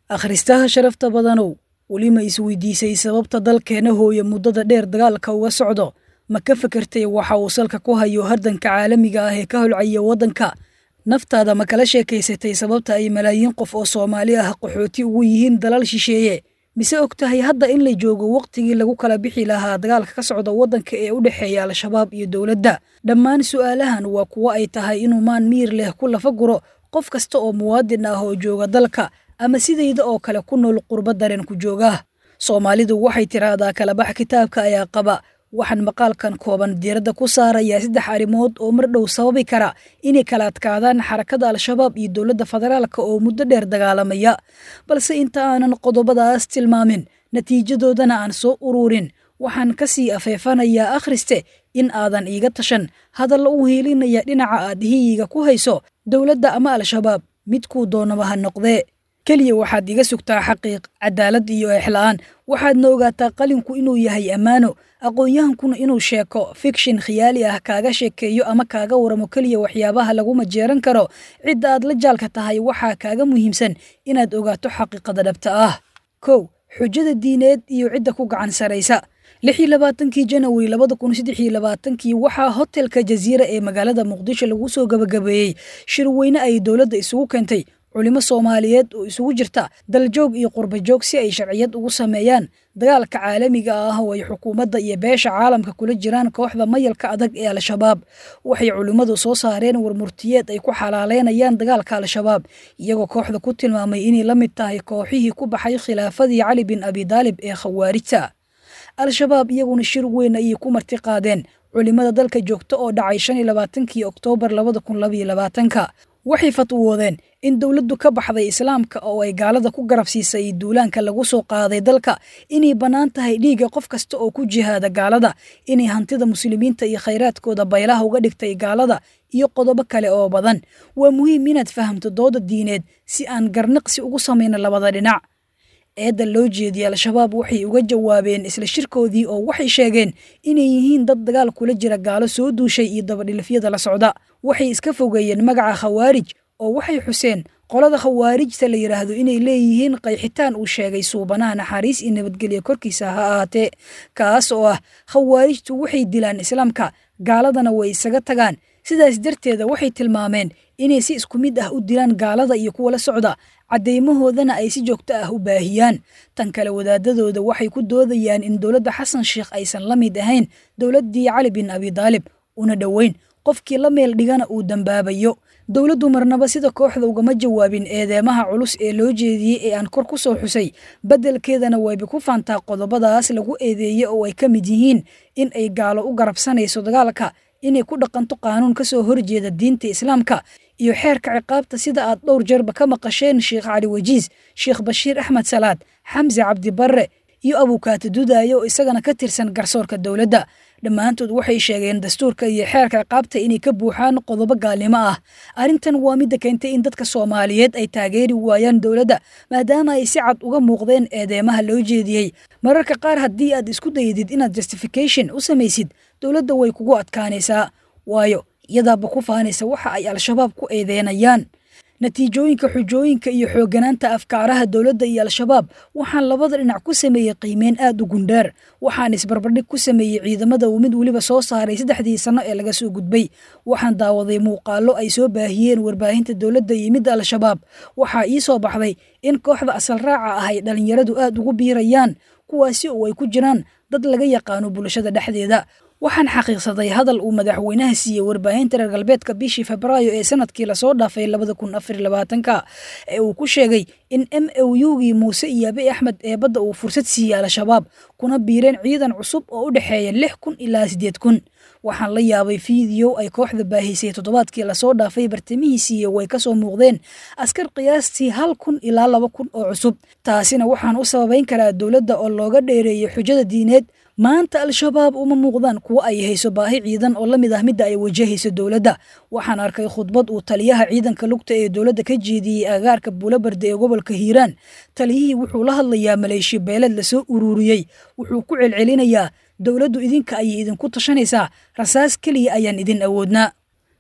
Akhristaha sharafta badanow, weli ma isweydiisay sababta dalkeena hooye muddada dheer dagaalka uga socdo? Ma ka fekertay waxa uu salka ku hayo hardanka caalamiga ah ee ka holcaya waddanka? Naftaada ma kala sheekaysatay sababta ay malaayiin qof oo Soomaali ah qaxooti ugu yihiin dalal shisheeye? Mise og tahay hadda in la joogo waqtigii lagu kala bixi lahaa dagaalka ka socda waddanka ee u dhexeeya Al-Shabaab iyo dowladda? Dhammaan su'aalahan waa kuwo ay tahay inuu maan miir leh ku lafa guro qof kasta oo muwaadin ah oo jooga dalka ama sidayda oo kale ku nool qurbo dareen ku jooga. Soomaalidu waxay tiraahdaa kalabax kitaabka ayaa qaba. Waxaan maqaalkan kooban diiradda ku saarayaa 3 arrimood oo mar dhow sababi kara inay kala adkaadaan xarakada Al-Shabaab iyo dowladda federaalka oo muddo dheer dagaalamaya. Balse inta aanan qodobadaas tilmaamin, natiijadoodana aan soo ururin, waxaan ka sii afeefanayaa akhriste in aadan iiga tashan hadalla u hiilinaya dhinaca aad hiyiga ku hayso dowladda ama Al-Shabaab, midkuu doonaba ha noqdee. Keliya waxaad iga sugtaa xaqiiq, cadaalad iyo eexla'aan. Waxaadna ogaataa qalinku inuu yahay ammaano, aqoon-yahankuna inuu sheeko fikshin khiyaali ah kaaga sheekeeyo ama kaaga waramo keliya waxyaabaha lagu majeeran karo cidda aad la jaalka tahay. Waxaa kaaga muhiimsan inaad ogaato xaqiiqada dhabta ah. 1, xujada diineed iyo cidda ku gacan saraysa. 26-kii Janawari 2023-kii waxaa hotelka Jaziira ee magaalada Muqdisho lagu soo gabagabeeyey shirweyne ay dowladda isugu keentay culimo Soomaaliyeed oo isugu jirta daljoog iyo qurbajoog si ay sharciyad ugu sameeyaan dagaalka caalamiga ah oo ay xukuumadda iyo beesha caalamka kula jiraan kooxda mayalka adag ee Al-Shabaab. Waxay culimmadu soo saareen warmurtiyeed ay ku xalaaleynayaan dagaalka Al-Shabaab, iyagoo kooxda ku tilmaamay inay la mid tahay kooxihii ku baxay khilaafadii Cali bin Abi Daalib ee Khawaarijta. Al-Shabaab iyaguna shir weyn ayay ku marti qaadeen culimada dalka joogta oo dhacay 25-kii Oktoobar 2022-ka. Waxay fatwoodeen in dowladdu ka baxday islaamka oo ay gaalada ku garab siisay duulaanka lagu soo qaaday dalka, inay bannaan tahay dhiigga qof kasta oo ku jihaada gaalada, inay hantida muslimiinta iyo khayraadkooda baylaha uga dhigtay gaalada, iyo qodobo kale oo badan. Waa muhiim inaad fahamto dooda diineed si aan garnaqsi ugu samayno labada dhinac. Eedda loo jeediyey Al-Shabaab waxay uga jawaabeen isla shirkoodii oo waxay sheegeen inay yihiin dad dagaal kula jira gaalo soo duushay iyo dabadhilifyada la socda. Waxay iska fogeeyeen magaca Khawaarij oo waxay xuseen qolada Khawaarijta la yidhaahdo inay leeyihiin qayxitaan uu sheegay suubanaha naxariis iyo nabadgelyo korkiisa ha ahaatee, kaas oo ah Khawaarijtu waxay dilaan islaamka, gaaladana way isaga tagaan. Sidaas darteeda waxay tilmaameen inay si isku mid ah u dilaan gaalada iyo kuwa la socda, caddeymahoodana ay si joogto ah u baahiyaan. Tan kale, wadaadadooda waxay ku doodayaan in dowladda Xasan Sheikh aysan la mid ahayn dowladdii Cali bin Abi Daalib, una dhoweyn qofkii la meel dhigana uu dambaabayo. Dowladdu marnaba sida kooxda ugama jawaabin eedeemaha culus ee loo jeediyey ee aan kor ku soo xusay, beddelkeedana wayba ku faantaa qodobadaas lagu eedeeyey oo ay ka mid yihiin in ay gaalo u garabsanayso dagaalka, inay ku dhaqanto qaanuun ka soo horjeeda diinta islaamka iyo xeerka ciqaabta, sida aad dhowr jeerba ka maqasheen Sheekh Cali Wajiis, Sheekh Bashiir Axmed Salaad, Xamse Cabdi Barre iyo Abukaata Dudaayo oo isagana ka tirsan garsoorka dowladda. Dhammaantood waxay sheegeen dastuurka iyo xeerka ciqaabta inay ka buuxaan qodobo gaalnimo ah. Arrintan waa midda keentay in dadka Soomaaliyeed ay taageeri waayaan dowladda, maadaama ay si cad uga muuqdeen eedeemaha loo jeediyey. Mararka qaar haddii aad isku dayidid inaad justification u samaysid dowladda, way kugu adkaanaysaa, waayo iyadaaba ku faanaysa waxa ay Al-Shabaab ku eedeynayaan. Natiijooyinka, xujooyinka iyo xoogganaanta afkaaraha dowladda iyo Al-Shabaab, waxaan labada dhinac ku sameeyey qiimeyn aad u gundheer. Waxaan isbarbardhig ku sameeyey ciidamada uu mid weliba soo saaray 3dii sano ee laga soo gudbay. Waxaan daawaday muuqaallo ay soo baahiyeen warbaahinta dowladda iyo midda Al-Shabaab. Waxaa ii soo baxday in kooxda asal raaca ah ay dhallinyaradu aad ugu biirayaan, kuwaasi oo ay ku jiraan dad laga yaqaano bulshada dhexdeeda. Waxaan xaqiiqsaday hadal uu madaxweynaha siiyey warbaahinta reer galbeedka bishii Febraayo ee sanadkii lasoo dhaafay 2024-ka ee uu ku sheegay in MOU-gii Muuse iyo Abiy Axmed ee badda uu fursad siiyey Al-Shabaab, kuna biireen ciidan cusub oo u dhexeeya 6000 ilaa 8000. Waxaan la yaabay fiidiyow ay kooxda baahisay toddobaadkii lasoo dhaafay bartamihiisii way kasoo muuqdeen askar qiyaastii 1000 ilaa 2000 oo cusub. Taasina waxaan u sababayn karaa dowladda oo looga dheereeyey xujada diineed. Maanta Al-Shabaab uma muuqdaan kuwo ay hayso baahi ciidan oo la mid ah midda ay wajahayso dowladda. Waxaan arkay khudbad uu taliyaha ciidanka lugta ee dowladda ka jeediyey agaarka Buulabarde ee gobolka Hiiraan. Taliyihii wuxuu la hadlayaa maleeshiya beeleed lasoo ururiyey. Wuxuu ku celcelinayaa dowladdu idinka ayay idinku tashanaysaa, rasaas keliya ayaan idin awoodnaa.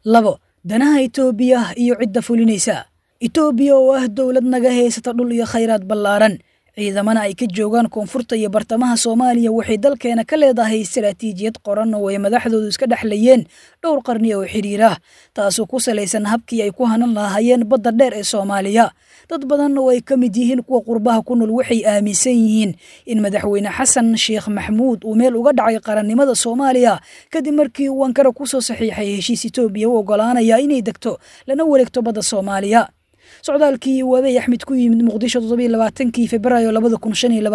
2, danaha Itoobiya iyo cidda fulinaysa. Itoobiya oo ah dowlad naga haysata dhul iyo khayraad ballaaran, ciidamana ay ka joogaan koonfurta iyo bartamaha Soomaaliya, waxay dalkeena ka leedahay istaraatiijiyad qoran oo ay madaxdoodu iska dhexlayeen dhowr qarni oo xiriir ah, taasoo ku salaysan habkii ay ku hanan lahaayeen badda dheer ee Soomaaliya. Dad badan oo ay ka mid yihiin kuwa qurbaha ku nool waxay aaminsan yihiin in madaxweyne Xasan Sheekh Maxamuud uu meel uga dhacay qarannimada Soomaaliya kadib markii uu Ankara ku soo saxiixay heshiis Itoobiya u oggolaanaya inay degto lana wareegto badda Soomaaliya. Socdaalkii uu Abiy Axmed ku yimid Muqdisho 27kii Febraayo 2025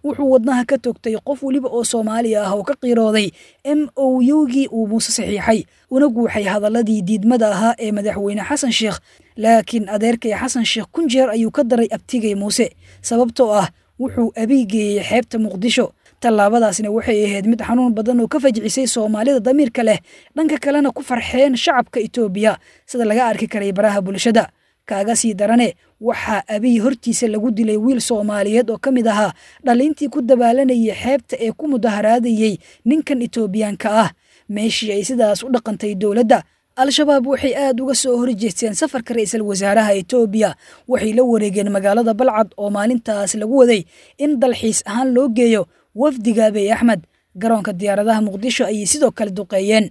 wuxuu wadnaha ka toogtay qof weliba oo Soomaali ah oo ka qiirooday MOU-gii uu Muuse saxiixay, una guuxay hadalladii diidmada ahaa ee madaxweyne Xasan Sheekh. Laakiin adeerkay Xasan Sheekh kun jeer ayuu ka daray abtigay Muuse, sababtoo ah wuxuu Abiy geeyey xeebta Muqdisho. Tallaabadaasna waxay ahayd mid xanuun badan oo ka fajcisay Soomaalida damiirka leh, dhanka kalena ku farxeen shacabka Itoobiya sida laga arki karay baraha bulshada. Kaaga sii darane, waxaa Abiy hortiisa lagu dilay wiil Soomaaliyeed oo ka mid ahaa dhalintii ku dabaalanayay xeebta ee ku mudaharaadayay ninkan Itoobiyaanka ah. Meeshii ay sidaas u dhaqantay dowladda, Al-Shabaab waxay aad uga soo horjeesteen safarka ra'iisul wasaaraha Itoobiya. Waxay la wareegeen magaalada Balcad oo maalintaas lagu waday in dalxiis ahaan loo geeyo wafdiga Abiy Axmed. Garoonka diyaaradaha Muqdisho ayay sidoo kale duqeeyeen.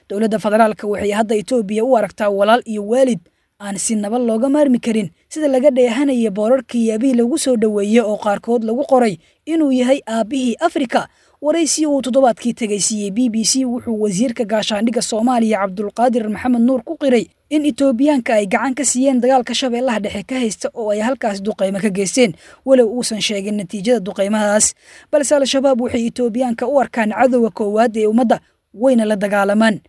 Dowladda federaalka waxay hadda Itoobiya u aragtaa walaal iyo waalid aan si nabad looga maarmi karin, sida laga dheehanaya boorarkii Abiy lagu soo dhoweeyey oo qaarkood lagu qoray inuu yahay aabbihii Afrika. Waraysi uu toddobaadkii tegay siiyey BBC wuxuu wasiirka gaashaandhigga Soomaaliya Cabdulqaadir Maxamed Nuur ku qiray in Itoobiyaanka ay gacan ka siiyeen dagaalka Shabeellaha Dhexe ka haysta oo ay halkaas duqeymo ka geysteen, walow uusan sheegin natiijada duqeymahaas. Balse Al-Shabaab waxay Itoobiyaanka u arkaan cadowga koowaad ee ummadda, wayna la dagaalamaan.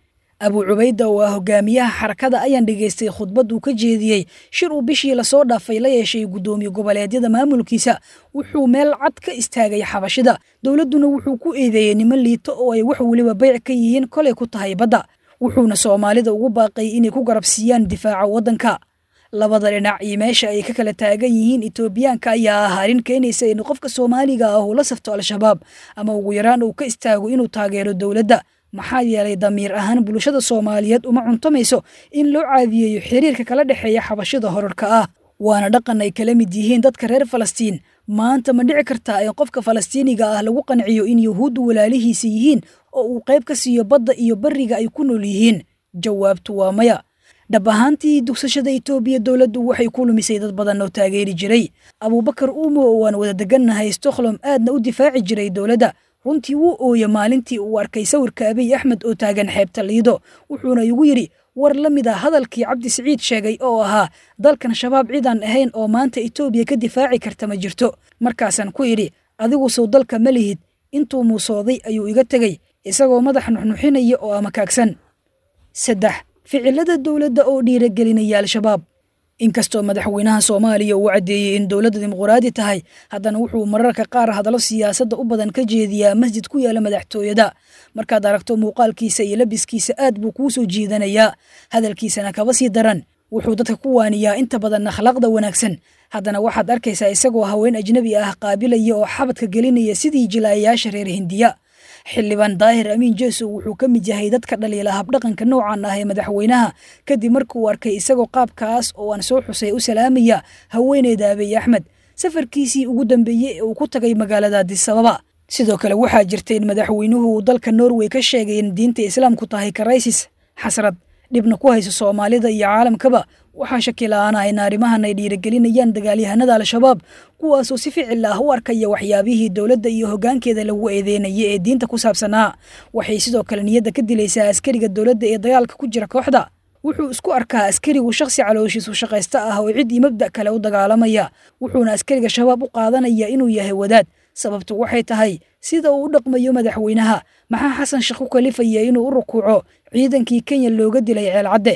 Abu Cubayda oo ah hogaamiyaha xarakada ayaan dhegaystay khudbad uu ka jeediyey shir uu bishii lasoo dhaafay la yeeshay guddoomiye goboleedyada maamulkiisa. Wuxuu meel cad ka istaagay xabashida, dowladduna wuxuu ku eedeeyey niman liito oo ay wax weliba bayc ka yihiin kolay ku tahay badda, wuxuuna Soomaalida ugu baaqay inay ku garabsiiyaan difaaca waddanka. Labada dhinac iyo meesha ay ka kala taagan yihiin Itoobiyaanka ayaa ah arrin keenaysa in qofka Soomaaliga ah uu la safto Al-Shabaab ama ugu yaraan uu ka istaago inuu taageero dowladda, maxaa yeelay damiir ahaan bulshada Soomaaliyeed uma cuntamayso in loo caadiyeeyo xiriirka kala dhexeeya xabashida horarka ah, waana dhaqan ay kala mid yihiin dadka reer Falastiin. Maanta ma dhici kartaa in qofka Falastiiniga ah lagu qanciyo in Yuhuuddu walaalihiisa yihiin oo uu qayb ka siiyo badda iyo barriga ay ku nool yihiin? Jawaabtu waa maya. Dhab ahaantii, dugsashada Itoobiya dowladdu waxay ku lumisay dad badan oo taageeri jiray. Abuubakar Uumo oo aan wada degannahay Stockholm aadna u difaaci jiray dowladda, runtii wuu ooye maalintii uu arkay sawirka Abiy Axmed oo taagan xeebta Liido, wuxuuna igu yidhi war la mid ah hadalkii Cabdi Siciid sheegay oo ahaa dalkan Shabaab cidaan ahayn oo maanta Itoobiya ka difaaci karta ma jirto. Markaasaan ku idhi, adigu sow dalka ma lihid. Intuu muusooday ayuu iga tegey isagoo madax nuxnuxinaya oo amakaagsan. 3, ficilada dowladda oo dhiiragelinaya Al-Shabaab. Inkastoo madaxweynaha Soomaaliya uu caddeeyey in dowladda dimuqraadi tahay, haddana wuxuu mararka qaar hadallo siyaasadda u badan ka jeediyaa masjid ku yaala madaxtooyada. Markaad aragto muuqaalkiisa iyo labiskiisa aad buu kuu soo jiidanayaa, hadalkiisana kaba sii daran. Wuxuu dadka ku waaniyaa inta badan akhlaaqda wanaagsan, haddana waxaad arkaysaa isagoo haween ajnabi ah qaabilaya oo xabadka gelinaya sidii jilaayayaasha reer Hindiya. Xildhibaan Daahir Amiin Jeesow wuxuu ka mid yahay dadka dhaliila habdhaqanka noocan ah ee madaxweynaha, kadib markuu arkay isagoo qaabkaas oo aan soo xusay u salaamaya haweeneyda Abiy Axmed safarkiisii ugu dambeeyey ee uu ku tagay magaalada Addis Ababa. Sidoo kale waxaa jirta in madaxweynuhu uu dalka Norway ka sheegay in diinta Islaamku tahay karaysis, xasrad, dhibna ku hayso Soomaalida iyo caalamkaba. Waxaa shaki la'aan ah in arrimahan ay dhiirigelinayaan dagaalyahanada Al-Shabaab, kuwaasoo si ficil ah u arkaya waxyaabihii dowladda iyo hoggaankeeda lagu eedeynayay ee diinta ku saabsanaa. Waxay sidoo kale niyadda ka dilaysaa askariga dowladda ee dagaalka ku jira kooxda. Wuxuu isku arkaa askarigu shakhsi calooshiisu shaqaysta ah oo cid iyo mabda' kale u dagaalamaya, wuxuuna askariga Shabaab u qaadanaya inuu yahay wadaad. Sababtu waxay tahay sida uu u dhaqmayo madaxweynaha. Maxaa Xasan Sheekh ku kalifaya inuu u rukuuco ciidankii Kenya looga dilay Ceelcadde?